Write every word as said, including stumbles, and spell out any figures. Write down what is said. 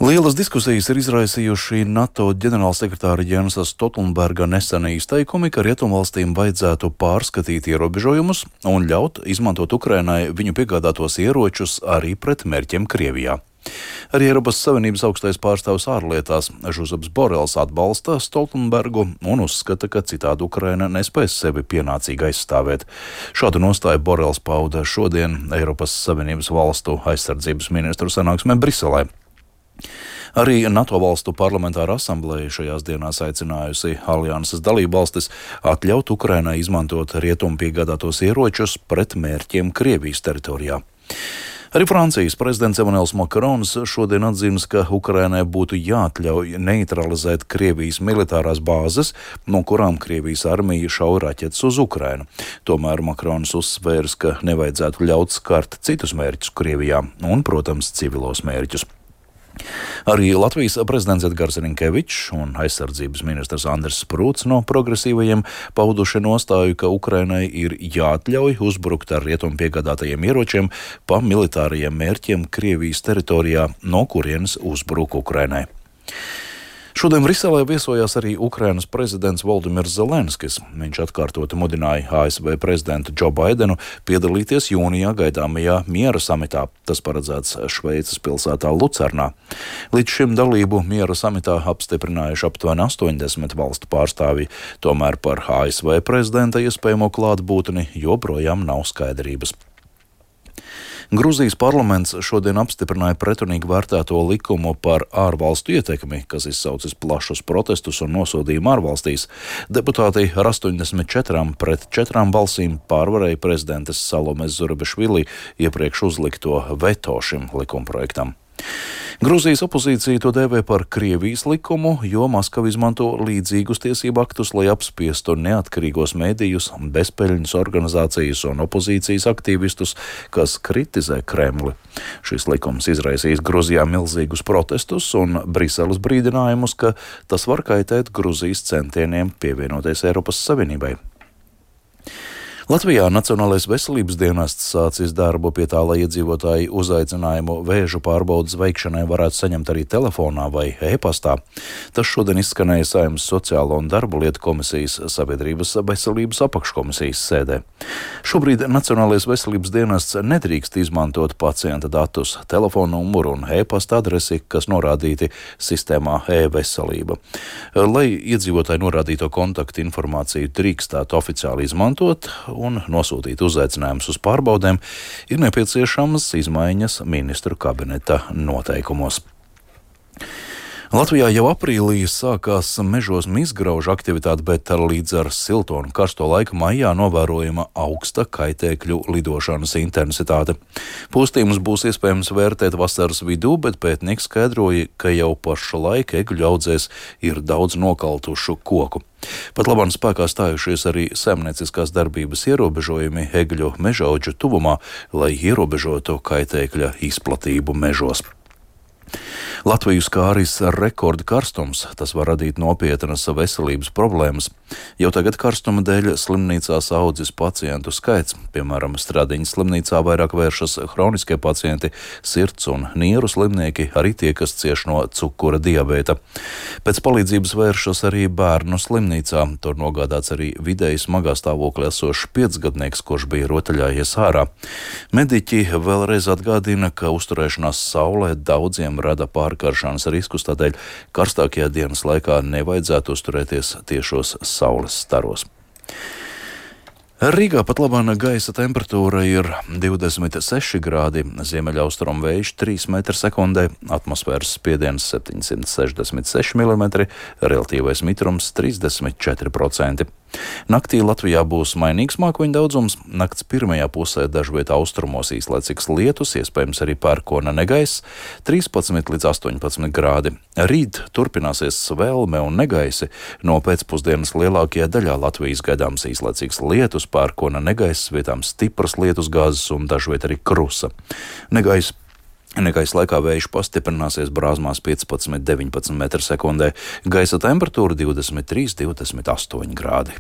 Lielas diskusijas ir izraisījuši NATO ģenerālsekretāra Jensa Stoltenberga nesenie izteikumi, ka rietumvalstīm vajadzētu pārskatīt ierobežojumus un ļaut izmantot Ukrainai viņu piegādātos ieročus arī pret mērķiem Krievijā. Arī Eiropas Savienības augstais pārstāvs ārlietās Žuzeps Borels atbalsta Stoltenbergu un uzskata, ka citādi Ukraina nespēs sevi pienācīgi aizstāvēt. Šādu nostāju Borels pauda šodien Eiropas Savienības valstu aizsardzības ministru sanāksmē Briselē. Arī NATO valstu parlamentāra asambleja šajās dienās aicinājusi alianses dalībvalstis atļaut Ukrainai izmantot rietumu piegādātos ieročus pret mērķiem Krievijas teritorijā. Arī Francijas prezidents Emmanuels Macrons šodien atzīmes, ka Ukrainai būtu jāatļauj neutralizēt Krievijas militārās bāzes, no kurām Krievijas armija šauj raķetes uz Ukrainu. Tomēr Macrons uzsvērs, ka nevajadzētu ļaut skart citus mērķus Krievijā un, protams, civilos mērķus. Arī Latvijas prezidents Edgars Rinkevičs un aizsardzības ministrs Andris Sprūts no progresīvajiem pauduši nostāju, ka Ukrainai ir jāatļauj uzbrukt ar rietumu piegādātajiem ieročiem pa militārajiem mērķiem Krievijas teritorijā, no kurienes uzbruk Ukrainai. Šodien Briselē viesojās arī Ukrainas prezidents Voldimirs Zelenskis. Viņš atkārtoti mudināja A S V prezidentu Džo Baidenu piedalīties jūnijā gaidāmajā miera samitā. Tas paredzēts Šveices pilsētā Lucernā. Līdz šim dalību miera samitā apstiprinājuši aptuveni astoņdesmit valstu pārstāvji. Tomēr par A S V prezidenta iespējamo klātbūtni joprojām nav skaidrības. Gruzijas parlaments šodien apstiprināja pretrunīgi vērtēto likumu par ārvalstu ietekmi, kas izsaucis plašus protestus un nosodījumu ārvalstīs. Deputāti ar astoņdesmit četrām pret četrām balsīm pārvarēja prezidentes Salomes Zurabišvili iepriekš uzlikto veto šim likumprojektam. Gruzijas opozīcija to dēvē par Krievijas likumu, jo Maskava izmanto līdzīgus tiesību aktus, lai apspiestu neatkarīgos mēdījus, bezpeļņas organizācijas un opozīcijas aktīvistus, kas kritizē Kremli. Šis likums izraisīs Gruzijā milzīgus protestus un Briseles brīdinājumus, ka tas var kaitēt Gruzijas centieniem pievienoties Eiropas Savienībai. Latvijā Nacionālais veselības dienests sācis darbu pie tā, lai iedzīvotāji uzaicinājumu vēža pārbaudes veikšanai varētu saņemt arī telefonā vai e-pastā. Tas šodien izskanēja Saeimas Sociālo un darbu lietu komisijas sabiedrības veselības apakškomisijas sēdē. Šobrīd Nacionālais veselības dienests nedrīkst izmantot pacienta datus, telefonu numuru un e-pasta adresi, kas norādīti sistēmā e-veselība. Lai iedzīvotāji norādīto kontaktu informāciju drīkstētu oficiāli izmantot un nosūtīt uzaicinājumus uz pārbaudēm, ir nepieciešamas izmaiņas ministru kabineta noteikumos. Latvijā jau aprīlī sākās mežos mizgraužu aktivitāte, bet līdz ar silto un karsto laiku maijā novērojama augsta kaitēkļu lidošanas intensitāte. Postījumus būs iespējams vērtēt vasaras vidū, bet pētnieki skaidroja, ka jau pašlaik egļu audzēs ir daudz nokaltušu koku. Pat labāk spēkā stājušies arī saimnieciskās darbības ierobežojumi egļu mežaudžu tuvumā, lai ierobežotu kaitēkļa izplatību mežos. Latviju skāris rekorda karstums, tas var radīt nopietnas veselības problēmas. Jau tagad karstuma dēļ slimnīcās audzis pacientu skaits, piemēram, Stradiņas slimnīcā vairāk vēršas hroniskie pacienti, sirds un nieru slimnieki, arī tie, kas cieš no cukura diabēta. Pēc palīdzības vēršas arī bērnu slimnīcā, tur nogādāts arī vidēji smagā stāvoklī esošs piecgadnieks, kurš bija rotaļājies ārā. Mediķi vēlreiz atgādina, ka uzturēšanās saulē daudziem rada pārkaršanas riskus, tādēļ karstākajā dienas laikā nevajadzētu uzturēties tiešos saules staros. Rīgā pat labāk gaisa temperatūra ir divdesmit seši grādi, ziemeļaustrumu vējš trīs metri sekundē, atmosfēras spiediens septiņsimt sešdesmit seši milimetri, relatīvais mitrums trīsdesmit četri procenti. Naktī Latvijā būs mainīgs mākoņu daudzums, nakts pirmajā pusē dažviet austrumos īslaicīgs lietus, iespējams arī pērkona negaiss, trīspadsmit līdz astoņpadsmit grādi. Rīt turpināsies svelme un negaisi, no pēcpusdienas lielākajā daļā Latvijas gaidāms īslaicīgs lietus, pērkona negaiss, vietām stipras lietus gāzes un dažviet arī krusa. Negaiss Negaisa laikā vējš pastiprināsies brāzmās piecpadsmit līdz deviņpadsmit metri sekundē, gaisa temperatūra divdesmit trīs līdz divdesmit astoņi grādi.